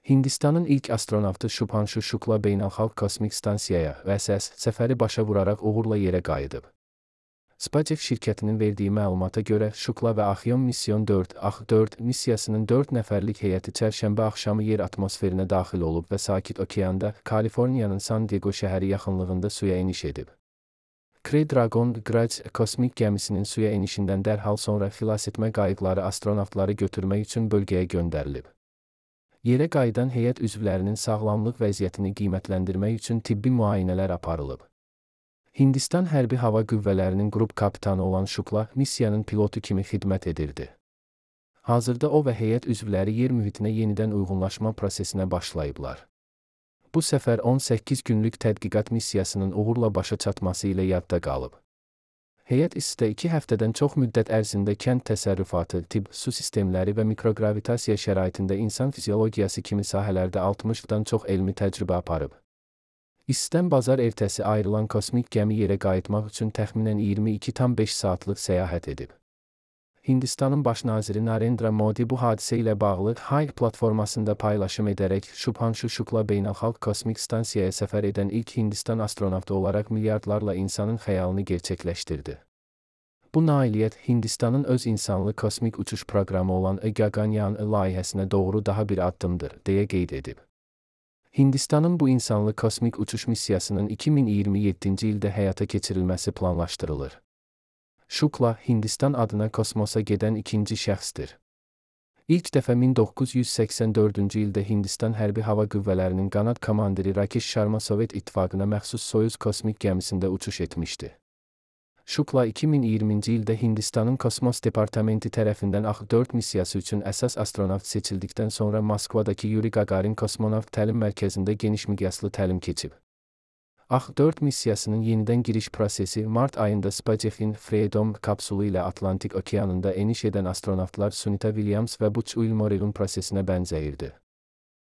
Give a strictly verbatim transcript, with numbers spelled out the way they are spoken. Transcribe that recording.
Hindistanın ilk astronavtı Shubhanshu Shukla Beynəlxalq Kosmik Stansiyaya V S S səfəri başa vuraraq uğurla yerə qayıdıb. SpaceX şirkətinin verdiyi məlumata görə Shukla və Axiom Mission dörd A X dörd missiyasının dörd nəfərlik heyəti çərşənbə axşamı yer atmosferinə daxil olub və Sakit Okeanda, Kaliforniyanın San Diego şəhəri yaxınlığında suya eniş edib. Crew Dragon Grace kosmik gəmisinin suya enişindən dərhal sonra xilasetmə qayıqları astronavtları götürmək üçün bölgəyə göndərilib. Yerə qayıdan heyət üzvlərinin sağlamlıq vəziyyətini qiymətləndirmək üçün tibbi müayinələr aparılıb. Hindistan Hərbi Hava Qüvvələrinin qrup kapitanı olan Shukla missiyanın pilotu kimi xidmət edirdi. Hazırda o və heyət üzvləri yer mühitinə yenidən uyğunlaşma prosesinə başlayıblar. Bu səfər on səkkiz günlük tədqiqat missiyasının uğurla başa çatması ilə yadda qalıb. Heyət İSSdə iki həftədən çox müddət ərzində kənd təsərrüfatı, tibb, su sistemləri və mikrogravitasiya şəraitində insan fiziologiyası kimi sahələrdə altmışdan çox elmi təcrübə aparıb. İSSdən bazar ertəsi ayrılan kosmik gəmi yerə qayıtmaq üçün təxminən iyirmi iki tam beş saatlıq səyahət edib. Hindistanın baş naziri Narendra Modi bu hadisə ilə bağlı Hive platformasında paylaşım edərək Shubhanshu Shukla Beynəlxalq Kosmik Stansiyaya səfər edən ilk Hindistan astronavtı olaraq milyardlarla insanın xəyalını gerçəkləşdirdi. Bu nailiyyət Hindistanın öz insanlı kosmik uçuş proqramı olan Gaganyaan layihəsinə doğru daha bir addımdır, deyə qeyd edib. Hindistanın bu insanlı kosmik uçuş missiyasının iki min iyirmi yeddinci ildə həyata keçirilməsi planlaşdırılır. Shukla, Hindistan adına kosmosa gedən ikinci şəxsdir. İlk dəfə min doqquz yüz səksən dördüncü ildə Hindistan Hərbi Hava Qüvvələrinin qanad komandiri Rakesh Sharma Sovet İttifaqına məxsus Soyuz kosmik gəmisində uçuş etmişdi. Shukla iki min iyirminci ildə Hindistanın Kosmos Departamenti tərəfindən A X dörd missiyası üçün əsas astronavt seçildikdən sonra Moskvadakı Yuri Gagarin Kosmonavt Təlim Mərkəzində geniş miqyaslı təlim keçib. A X dörd missiyasının yenidən giriş prosesi mart ayında SpaceX-in Freedom kapsulu ilə Atlantik okeanında eniş edən astronavtlar Sunita Williams və Butch Wilmore prosesinə bənzəyirdi.